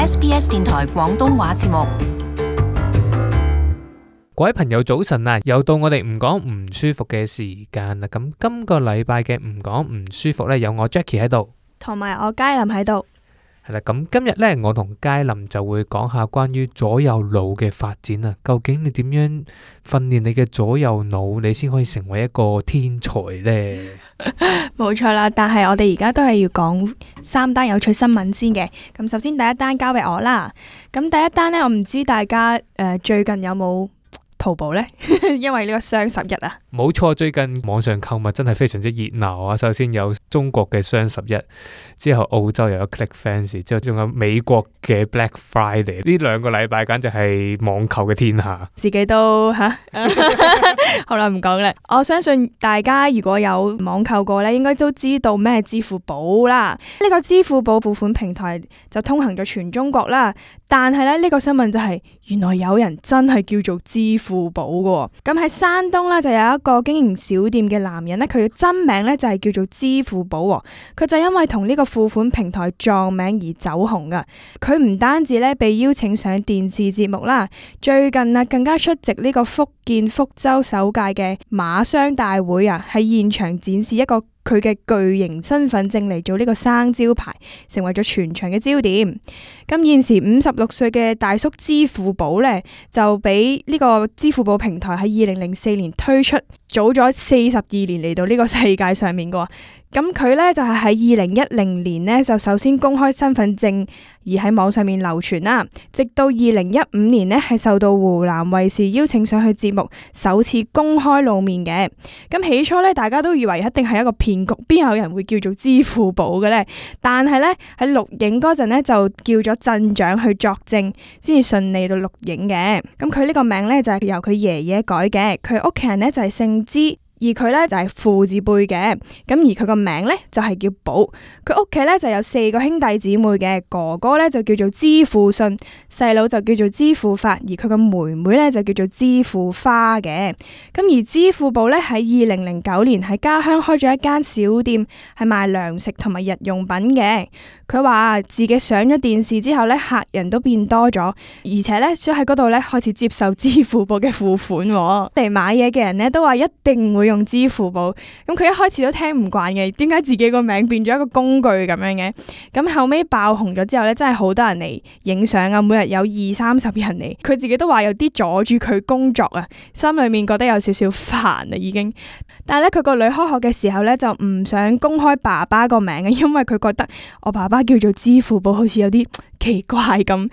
SBS 電台廣東話節目。各位朋友早晨啊，又到我哋唔講唔舒服嘅時間啦。咁今個禮拜嘅唔講唔舒服呢，有我 Jackie 喺度，同埋我佳林喺度。係啦，咁今日呢，我同佳林就會講下關於左右腦嘅發展啊。究竟你點樣訓練你嘅左右腦，你先可以成為一個天才呢？冇錯啦，但係我哋而家都係要講3單有趣新聞先嘅。咁首先第一單交俾我啦。咁第一單呢，我唔知大家最近有冇淘寶呢？因為呢個雙11啊。冇錯，最近網上購物真係非常之熱鬧啊！首先有中國嘅雙11，之後澳洲又有 ClickFancy，之後仲有美國嘅 Black Friday。呢2個禮拜簡直係網購嘅天下。自己都好啦，唔講啦。我相信大家如果有網購過呢，應該都知道咩支付寶啦。呢個支付寶付款平台就通行咗全中國啦。但係咧，呢個新聞就係原來有人真係叫做支付寶嘅。咁喺山東咧就有一個經營小店嘅男人咧，佢嘅真名咧就係叫做支付寶。佢就因為同呢個付款平台撞名而走紅噶。佢唔單止咧被邀請上電視節目啦，最近啊更加出席呢個福建福州首屆嘅馬商大會啊，喺現場展示一個佢嘅巨型身份證嚟做呢個生招牌，成為咗全場嘅焦點。咁現時56歲嘅大叔支付寶呢，就俾呢個支付寶平台喺2004年推出，早咗42年嚟到呢個世界上面嘅。咁佢呢，就係喺2010年呢，就首先公開身份證而喺網上面流傳啦，直到2015年呢，係受到湖南衛視邀請上去節目，首次公開露面嘅。咁起初呢，大家都以為一定係一個騙局，邊有人會叫做支付寶嘅呢？但係呢，喺錄影嗰陣呢，就叫咗鎮長去作證，先至順利到錄影嘅。咁佢呢個名呢，就係由佢爺爺改嘅，佢屋企人呢，就係姓支。而佢咧就係父字輩嘅，咁而佢個名咧就係叫寶。佢屋企咧就有4個兄弟姊妹嘅，哥哥咧就叫做支付信，細佬就叫做支付發，而佢個妹妹咧就叫做支付花嘅。咁而支付寶咧喺2009年喺家鄉開咗一間小店，係賣糧食同埋日用品嘅。佢話自己上咗電視之後咧，客人都變多咗，而且咧想喺嗰度咧開始接受支付寶嘅付款。嚟買嘢嘅人咧都話一定會用支付寶。咁佢一開始都聽唔慣嘅，點解自己個名變咗一個工具咁樣嘅？咁後尾爆紅咗之後咧，真係好多人嚟影相啊，每日有20-30人嚟。佢自己都話有啲阻住佢工作啊，心裏面覺得有少少煩啊已經。但係咧佢個女開學嘅時候咧就唔想公開爸爸個名嘅，因為佢覺得我爸爸叫做支付寶好似有啲奇怪咁。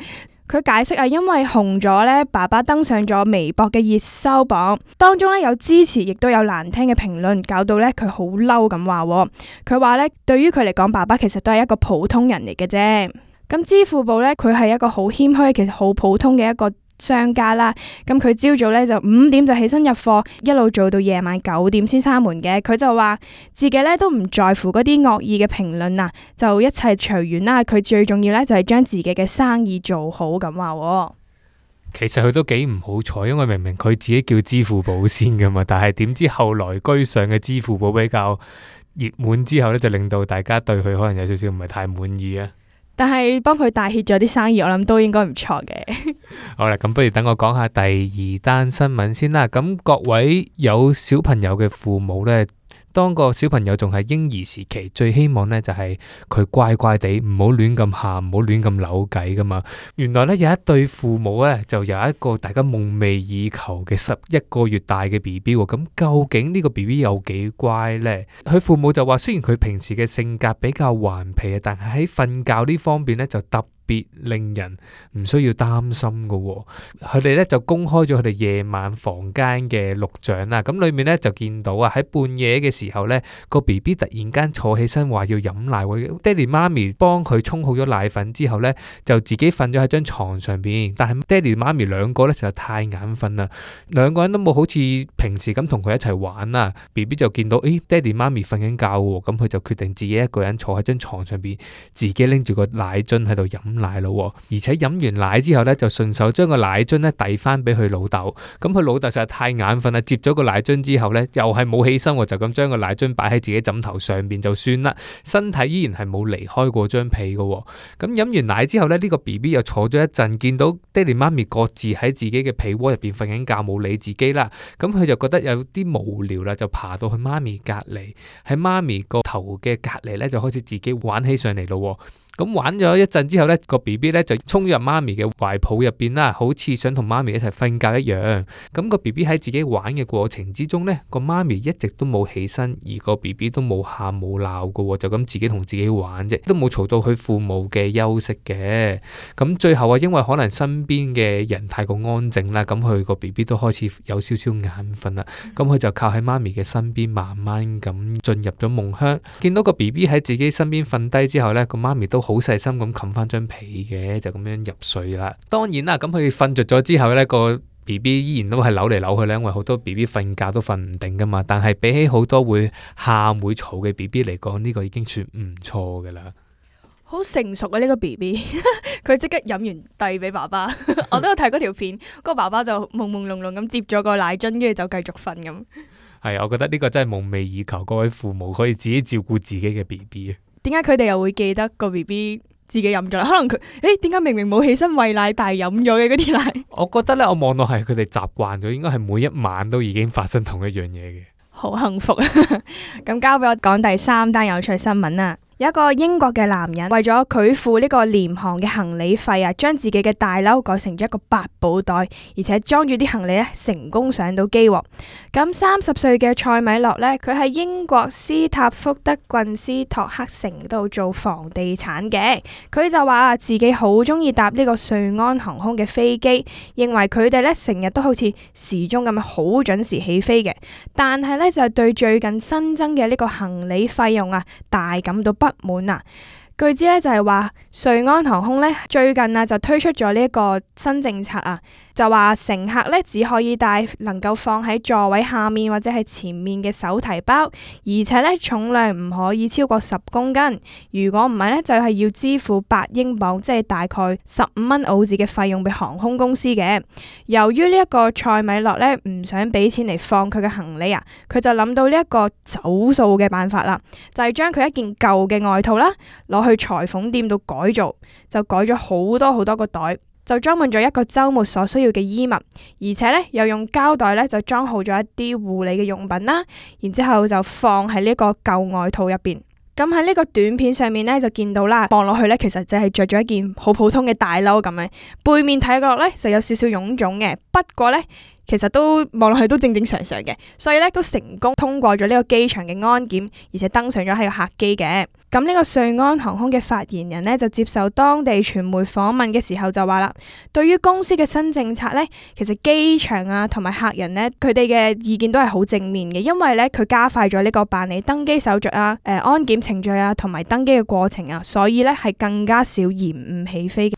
佢解釋啊，因為紅咗咧，爸爸登上咗微博嘅熱搜榜，當中咧有支持，亦都有難聽嘅評論，搞到咧佢好嬲咁話。佢話咧，對於佢嚟講，爸爸其實都係一個普通人嚟嘅啫。咁支付寶咧，佢係一個好謙虛，其實好普通嘅一個商家啦。咁佢朝早咧就5點就起身入貨，一路做到夜晚9點先閂門嘅。佢就話自己咧都唔在乎嗰啲惡意嘅評論啊，就一切隨緣啦。佢最重要咧就係將自己嘅生意做好咁話。其實佢都幾唔好彩，因為明明佢自己叫支付寶先噶嘛，但係點知後來居上嘅支付寶比較熱門之後咧，就令到大家對佢可能有少少唔係太滿意啊。但係幫佢帶挈咗啲生意，我諗都應該唔錯嘅。好啦，咁不如等我講下第2單新聞先啦。咁各位有小朋友嘅父母呢，當個小朋友仲係嬰兒時期，最希望呢就係佢乖乖地，唔好亂咁喊，唔好亂咁扭計噶嘛。原來呢，有一對父母呢，就有一個大家夢寐以求嘅11個月大嘅 BB 喎。咁究竟呢個 BB 有幾乖呢？佢父母就話，雖然佢平時嘅性格比較頑皮啊，但係喺瞓覺呢方面呢，就特別令人唔需要擔心噶。佢哋咧就公開咗佢哋夜晚房間嘅錄像啦。咁裏面咧就見到啊，喺半夜嘅時候咧，個 BB 突然間坐起身話要飲奶，爹哋媽咪幫佢沖好咗奶粉之後咧，就自己瞓咗喺張床上邊。但係爹哋媽咪兩個咧就太眼瞓啦，兩個人都冇好似平時咁同佢一齊玩啦。BB 就見到爹哋媽咪瞓緊覺喎，咁佢就決定自己一個人坐喺張床上邊，自己拎住個奶樽喺度飲奶咯，而且飲完奶之後咧就順手將個奶樽咧遞翻俾佢老豆。咁佢老豆實在太眼瞓啦，接咗個奶樽之後咧又係冇起身，就咁將個奶樽擺喺自己枕頭上邊就算啦，身體依然係冇離開過張被噶。咁飲完奶之後咧，呢個 BB 又坐咗一陣，見到爹哋媽咪各自喺自己嘅被窩入邊瞓緊覺，冇理自己啦。咁佢就覺得有啲無聊啦，就爬到去媽咪隔籬，喺媽咪個頭嘅隔籬咧就開始自己玩起上嚟咯。咁玩咗一陣之後咧，個 BB 咧就衝入媽咪嘅懷抱入邊啦，好似想同媽咪一齊瞓覺一樣。咁個 BB 喺自己玩嘅過程之中咧，個媽咪一直都冇起身，而個 BB 都冇喊冇鬧噶，就咁自己同自己玩啫，都冇嘈到佢父母嘅休息嘅。咁最後啊，因為可能身邊嘅人太過安靜啦，咁佢個 BB 都開始有少少眼瞓啦。咁佢就靠喺媽咪嘅身邊，慢慢咁進入咗夢鄉。見到個 BB 喺自己身邊瞓低之後咧，個媽咪都好細心咁冚翻張被嘅，就咁樣入睡啦。當然啦，咁佢瞓着咗之後呢，個 BB 依然都係扭嚟扭去咧，因為好多 BB 瞓覺都瞓唔定噶嘛。但係比起好多會喊會嘈嘅 BB 嚟講，呢個已經算唔錯噶啦。好成熟啊呢個 BB， 佢即刻飲完遞俾爸爸。我都有睇嗰條片，個爸爸就朦朦朧朧咁接咗個奶樽，跟住就繼續瞓咁。係，我覺得呢個真係夢寐以求，各位父母可以自己照顧自己嘅 BB。點解佢哋又會記得個 BB 自己飲咗？可能佢點解明明冇起身餵奶，但係飲咗嘅嗰啲奶？我覺得咧，我望到係佢哋習慣咗，應該係每一晚都已經發生同一樣嘢嘅。好幸福啊！咁交俾我講第三單有趣新聞啦。有一個英國嘅男人為咗佢付呢個廉航嘅行李費啊，將自己嘅大褸改成咗一個八寶袋，而且裝住啲行李咧，成功上到機。咁30歲嘅塞米洛呢，佢喺英國斯塔福德郡斯托克城度做房地產嘅。佢就話自己好中意搭呢個瑞安航空嘅飛機，認為佢哋呢成日都好似時鐘咁樣好準時起飛嘅。但係呢，就係對最近新增嘅呢個行李費用啊，大感到不滿啊！據知咧就係話瑞安航空咧最近啊就推出咗呢一個新政策啊，就話乘客咧只可以帶能夠放喺座位下面或者係前面嘅手提包，而且咧重量唔可以超過10公斤。如果唔係咧，就係要支付8英鎊，即係大概15蚊澳紙嘅費用俾航空公司嘅。由於呢一個塞米洛咧唔想俾錢嚟放佢嘅行李啊，佢就諗到呢一個走數嘅辦法啦，就係將佢一件舊嘅外套啦攞去裁縫店度改造，就改咗好多個袋，就裝滿咗一個週末所需要嘅衣物，而且咧又用膠袋咧就裝好咗一啲護理嘅用品啦，然之後就放喺呢個舊外套入邊。咁喺呢個短片上面咧就見到啦，望落去咧其實就係着咗一件好普通嘅大褸咁樣，背面睇落咧就有少少臃腫嘅，不過咧其實都望落去都正常嘅，所以咧都成功通過咗呢個機場嘅安檢，而且登上咗喺個客機嘅。咁呢個瑞安航空嘅發言人呢，就接受當地傳媒訪問嘅時候就話啦，對於公司嘅新政策呢，其實機場啊同埋客人呢，佢哋嘅意見都係好正面嘅，因為呢，佢加快咗呢個辦理登機手續啊、安檢程序啊同埋登機嘅過程啊，所以呢，係更加少延誤起飛嘅。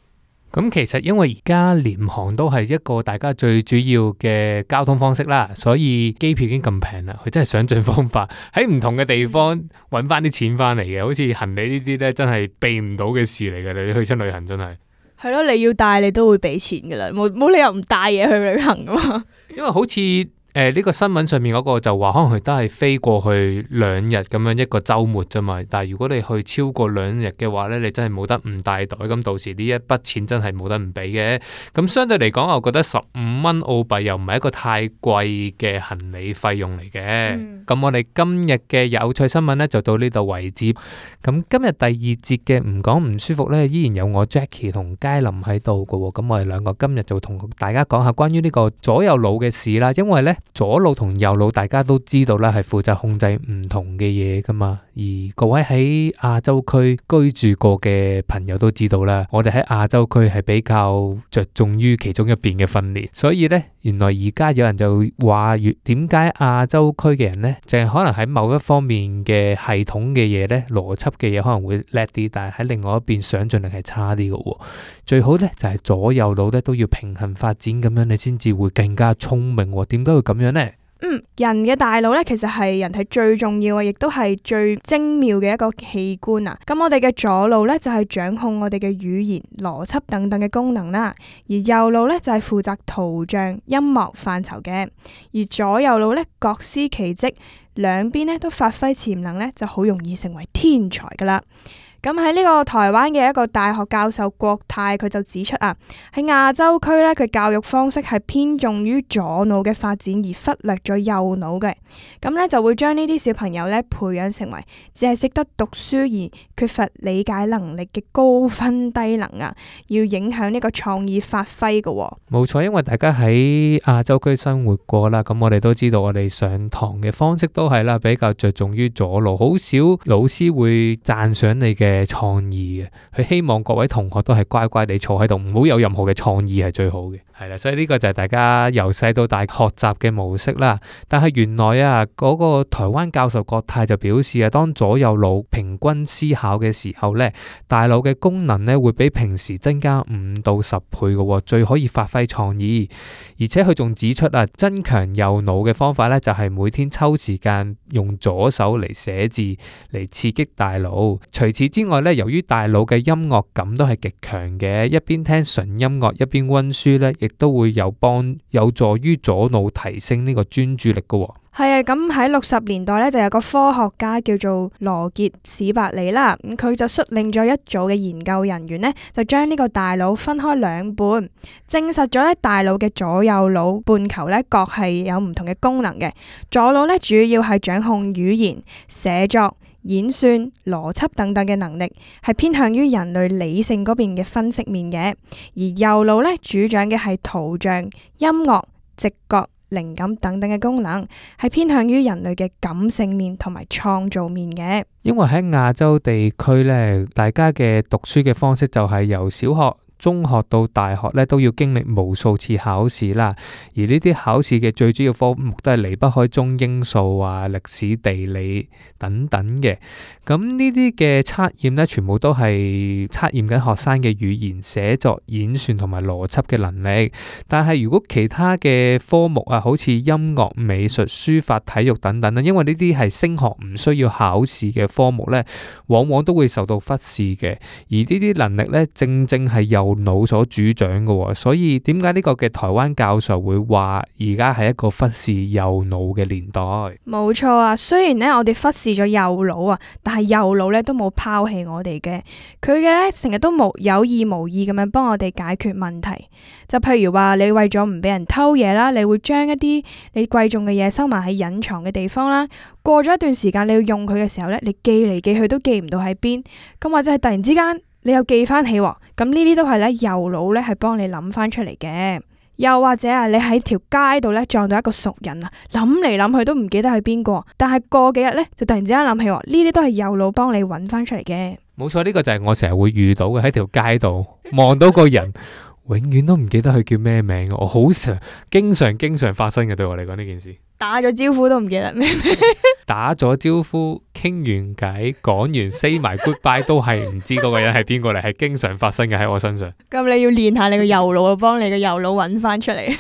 咁其實因為而家廉航都係一個大家最主要嘅交通方式啦，所以機票已經咁平啦，佢真係想盡方法喺唔同嘅地方揾翻啲錢翻嚟嘅，好似行李呢啲呢，真係避唔到嘅事嚟嘅，你去親旅行真係。係咯，你要帶你都會俾錢噶啦，冇理由唔帶嘢去旅行噶嘛。因為好似呢個新聞上面嗰個就話，可能佢都係飛過去2日咁樣一個週末啫嘛。但係如果你去超過2日嘅話呢，你真係冇得唔帶袋，咁到時呢一筆錢真係冇得唔俾嘅。咁相對嚟講，我覺得15蚊澳幣又唔係一個太貴嘅行李費用嚟嘅。咁我哋今日嘅有趣新聞呢，就到呢度為止。咁今日第2節嘅唔講唔舒服呢，依然有我 Jackie 同佳琳喺度㗎喎。咁我哋兩個今日就同大家講下關於呢個左右腦嘅事啦。因為呢，左腦同右腦大家都知道啦，係負責控制唔同嘅嘢噶嘛。而各位喺亞洲區居住過嘅朋友都知道啦，我哋喺亞洲區係比較着重於其中一邊嘅訓練。所以呢，原來而家有人就話，點解亞洲區嘅人呢，淨係可能喺某一方面嘅系統嘅嘢呢，邏輯嘅嘢可能會叻啲，但係喺另外一邊想像力係差啲嘅。最好呢，就係左右腦呢都要平衡發展，咁樣你先至會更加聰明。點解會咁樣呢？人嘅大腦咧，其實係人體最重要嘅，亦都係最精妙嘅一個器官啊。咁我哋嘅左腦咧就係掌控我哋嘅語言、邏輯等等嘅功能啦，而右腦咧就係負責圖像、音樂範疇嘅，而左右腦咧各司其職，兩邊咧都發揮潛能咧，就好容易成為天才噶啦。咁喺呢個台灣嘅一個大學教授郭泰，佢就指出啊，喺亞洲區咧，佢教育方式係偏重於左腦嘅發展，而忽略咗右腦嘅。咁咧就會將呢啲小朋友咧培養成為只係識得讀書而缺乏理解能力嘅高分低能啊，要影響呢個創意發揮嘅。冇錯，因為大家喺亞洲區生活過啦，咁我哋都知道我哋上堂嘅方式都係啦，比較着重於左腦，好少老師會讚賞你嘅創意嘅，佢希望各位同學都係乖乖地坐喺度，唔好有任何嘅創意係最好嘅。係啦，所以呢個就係大家由細到大學習嘅模式啦。但係原來啊，嗰個台灣教授郭泰就表示啊，當左右腦平均思考嘅時候咧，大腦嘅功能咧會比平時增加5到10倍嘅，最可以發揮創意。而且佢仲指出啊，增強右腦嘅方法咧，就係每天抽時間用左手嚟寫字嚟刺激大腦。除此之外咧，由於大腦嘅音樂感都係極強嘅，一邊聽純音樂一邊溫書咧，亦都會有助於左腦提升呢個專注力嘅。係啊，咁喺60年代咧，就有個科學家叫做羅傑史伯里啦，咁佢就率領咗一組嘅研究人員呢，就將呢個大腦分開兩半，證實咗咧大腦嘅左右腦半球咧各係有唔同嘅功能嘅。左腦咧主要係掌控語言、寫作、演算、邏輯等等嘅能力，係偏向於人類理性嗰邊嘅分析面嘅；而右腦咧主掌嘅係圖像、音樂、直覺、靈感等等嘅功能，係偏向於人類嘅感性面同埋創造面嘅。因為喺亞洲地區咧，大家嘅讀書嘅方式就係由小學、中學到大學咧都要經歷無數次考試啦，而呢啲考試嘅最主要科目都係離不開中英數啊、歷史、地理等等嘅。咁呢啲嘅測驗咧，全部都係測驗緊學生嘅語言、寫作、演算同埋邏輯嘅能力。但係如果其他嘅科目啊，好似音樂、美術、書法、體育等等咧，因為呢啲係升學唔需要考試嘅科目咧，往往都會受到忽視嘅。而呢啲能力咧，正正係右腦所主掌嘅，所以點解呢個嘅台灣教授會話而家係一個忽視右腦嘅年代？冇錯啊，雖然咧我哋忽視咗右腦啊，但係右腦咧都冇拋棄我哋嘅，佢嘅咧成日都有意無意咁樣幫我哋解決問題。就譬如話你為咗唔俾人偷嘢啦，你會將一啲你貴重嘅嘢收埋喺隱藏嘅地方啦。過咗一段時間你要用佢嘅時候咧，你寄嚟寄去都寄唔到喺邊，咁或者係突然之間你又記翻起，咁呢啲都係咧右腦咧係幫你諗翻出嚟嘅。又或者啊，你喺條街度咧撞到一個熟人啊，諗嚟諗去都唔記得係邊個，但係過幾日咧就突然之間諗起，呢啲都係右腦幫你揾翻出嚟嘅。冇錯，呢個就係我成日會遇到嘅，喺條街度望到個人，永遠都唔記得佢叫咩名，我好經常發生嘅，對我嚟講呢件事。打咗招呼都唔記得咩？打咗招呼，傾完偈，講完 say 埋 goodbye 都係唔知嗰個人係邊個嚟，係經常發生嘅喺我身上。咁你要練下你個右腦，幫你個右腦揾翻出嚟。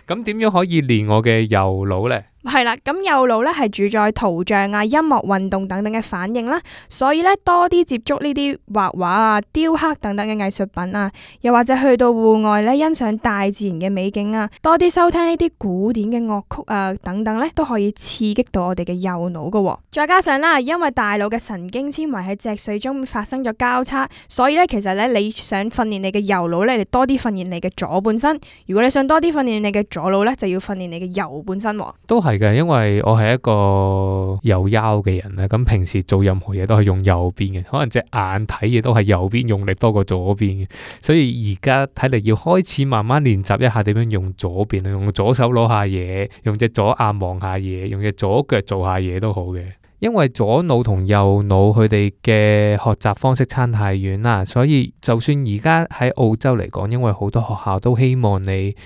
咁點樣可以練我嘅右腦呢？係啦，咁右腦咧係主宰圖像啊、音樂、運動等等嘅反應啦，所以咧多啲接觸呢啲畫畫啊、雕刻等等嘅藝術品啊，又或者去到戶外咧欣賞大自然嘅美景啊，多啲收聽呢啲古典嘅樂曲啊等等咧，都可以刺激到我哋嘅右腦噶。再加上啦，因為大腦嘅神經纖維喺脊髓中發生咗交叉，所以咧其實咧你想訓練你嘅右腦咧，你多啲訓練你嘅左半身；如果你想多啲訓練你嘅左腦咧，就要訓練你嘅右半身。都係嘅，因為我係一個右腰嘅人咧，咁平時做任何嘢都係用右邊嘅，可能隻眼睇嘢都係右邊用力多過左邊嘅，所以而家睇嚟要開始慢慢練習一下點樣用左邊，用左手攞下嘢，用隻左眼望下嘢，用隻左腳做下嘢都好嘅。因為左腦同右腦佢哋嘅學習方式差太遠啦，所以就算而家喺澳洲嚟講，因為好多學校都希望你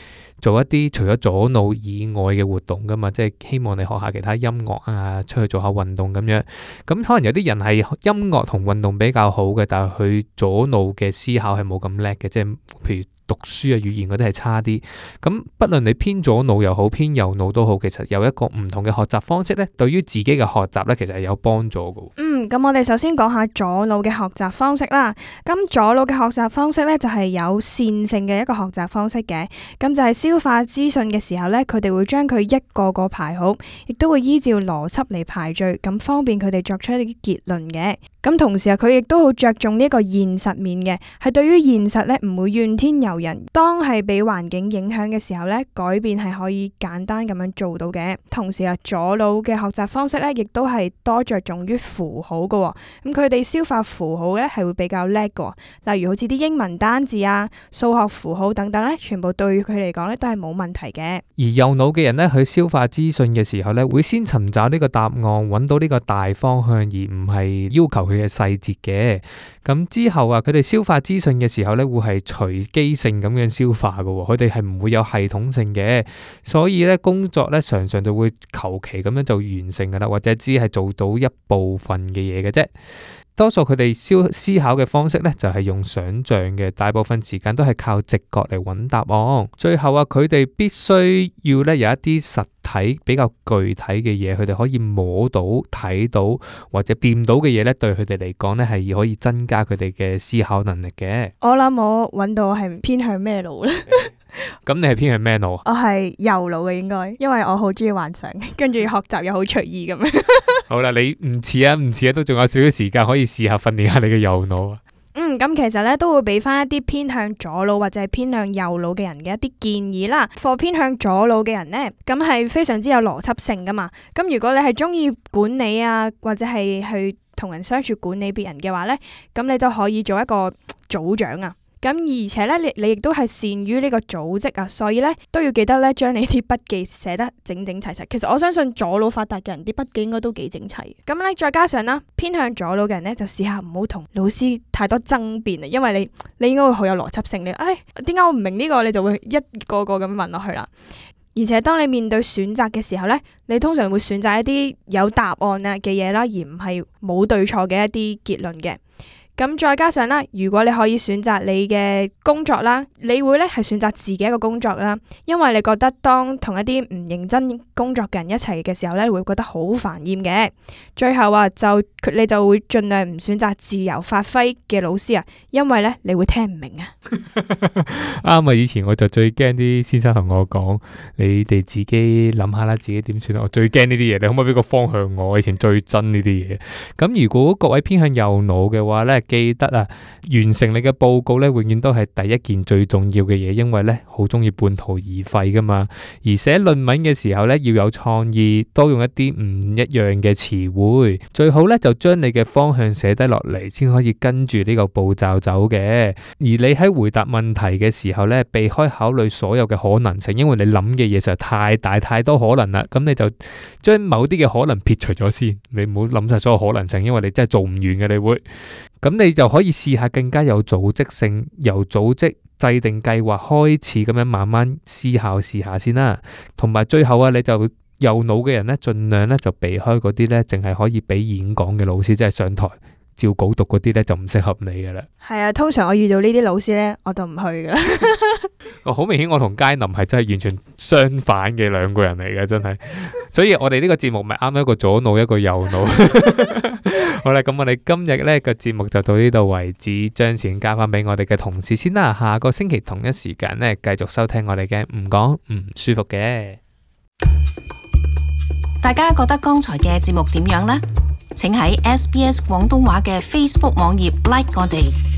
做一啲除咗左腦以外嘅活動噶嘛，即係希望你學下其他音樂啊，出去做下運動咁樣。咁可能有啲人係音樂同運動比較好嘅，但係佢左腦嘅思考係冇咁叻嘅，即係譬如讀書啊、語言嗰啲係差啲。咁不論你偏左腦又好，偏右腦都好，其實有一個唔同嘅學習方式咧，對於自己嘅學習咧，其實係有幫助嘅。咁我哋首先講下左腦嘅學習方式啦。咁左腦嘅學習方式咧，就係有線性嘅一個學習方式嘅。咁就係消化資訊嘅時候咧，佢哋會將佢一個個排好，亦都會依照邏輯嚟排序，咁方便佢哋作出一啲結論嘅。咁同時佢亦都好着重呢一個現實面嘅，係對於現實咧唔會怨天尤人。當係俾環境影響嘅時候咧，改變係可以簡單咁樣做到嘅。同時左腦嘅學習方式咧，亦都係多着重於符號嘅。咁佢哋消化符號咧係會比較叻嘅。例如好似啲英文單字啊、數學符號等等咧，全部對佢嚟講咧都係冇問題嘅。而右腦嘅人咧，去消化資訊嘅時候咧，會先尋找呢個答案，揾到呢個大方向，而唔係要求佢嘅細節嘅。咁之後佢哋消化資訊嘅時候咧，會係隨機性咁樣消化嘅，佢哋係唔會有系統性嘅，所以咧工作咧常常就會求其咁樣就完成噶啦，或者只係做到一部分嘅嘢嘅啫。多數佢哋思考嘅方式咧，就係用想象嘅，大部分時間都係靠直覺嚟揾答案。最後佢哋必須要咧有一啲實體比較具體嘅嘢，佢哋可以摸到、睇到或者掂到嘅嘢咧，對佢哋嚟講咧係可以增加佢哋嘅思考能力嘅。我諗我揾到係偏向咩腦咧？咁你係偏向咩腦？我係右腦嘅應該，因為我好中意幻想，跟住學習又好隨意咁樣。好啦，你唔似啊，都仲有少少時間可以試下訓練下你嘅右腦啊。咁其實咧都會俾翻一啲偏向左腦或者係偏向右腦嘅人嘅一啲建議啦。For 偏向左腦嘅人呢，咁係非常之有邏輯性噶嘛。咁如果你係中意管理啊，或者係去同人相處管理別人嘅話呢，咁你都可以做一個組長啊。咁而且咧，你亦都係善於呢個組織啊，所以咧都要記得咧將你啲筆記寫得整整齊齊。其實我相信左腦發達嘅人啲筆記應該都幾整齊。咁咧再加上啦，偏向左腦嘅人咧就試下唔好同老師太多爭辯啊，因為你應該會好有邏輯性。點解我唔明呢個？你就會一個個咁問落去啦。而且當你面對選擇嘅時候咧，你通常會選擇一啲有答案啊嘅嘢啦，而唔係冇對錯嘅一啲結論嘅。咁再加上啦，如果你可以選擇你嘅工作啦，你會咧係選擇自己一個工作啦，因為你覺得當同一啲唔認真工作嘅人一齊嘅時候咧，會覺得好煩厭嘅。最後你就會盡量唔選擇自由發揮嘅老師啊，因為咧你會聽唔明啊。啱啊！以前我就最驚啲先生同我講，你哋自己諗下啦，自己點算。我最驚呢啲嘢，你可唔可以俾個方向我？我以前最憎呢啲嘢。咁如果各位偏向右腦嘅話咧，記得完成你嘅報告咧，永遠都係第一件最重要嘅嘢，因為咧好中意半途而廢噶嘛。而寫論文嘅時候咧，要有創意，多用一啲唔一樣嘅詞彙，最好咧就將你嘅方向寫低落嚟，先可以跟住呢個步驟走嘅。而你喺回答問題嘅時候咧，避開考慮所有嘅可能性，因為你諗嘅嘢實在太大太多可能啦。咁你就將某啲嘅可能撇除咗先，你唔好諗晒所有可能性，因為你真係做唔完嘅，你會。咁你就可以試下更加有組織性，由組織制定計劃開始，咁樣慢慢思考試下先啦。同埋最後你就右腦嘅人咧，盡量咧就避開嗰啲咧，淨係可以俾演講嘅老師，即係上台照稿讀嗰啲咧，就唔適合你噶啦。係啊，通常我遇到呢啲老師咧，我就唔去噶啦。好明顯，我同佳林係真係完全相反嘅兩個人嚟嘅，真係。所以我哋呢個節目咪啱一個左腦，一個右腦。好啦，咁我哋今日呢個節目就到呢度為止，將錢交翻俾我哋嘅同事先啦。下個星期同一時間呢，繼續收聽我哋嘅唔講唔舒服嘅。大家覺得剛才嘅節目點樣呢？請喺SBS 廣東話嘅 Facebook 網頁 like 我哋。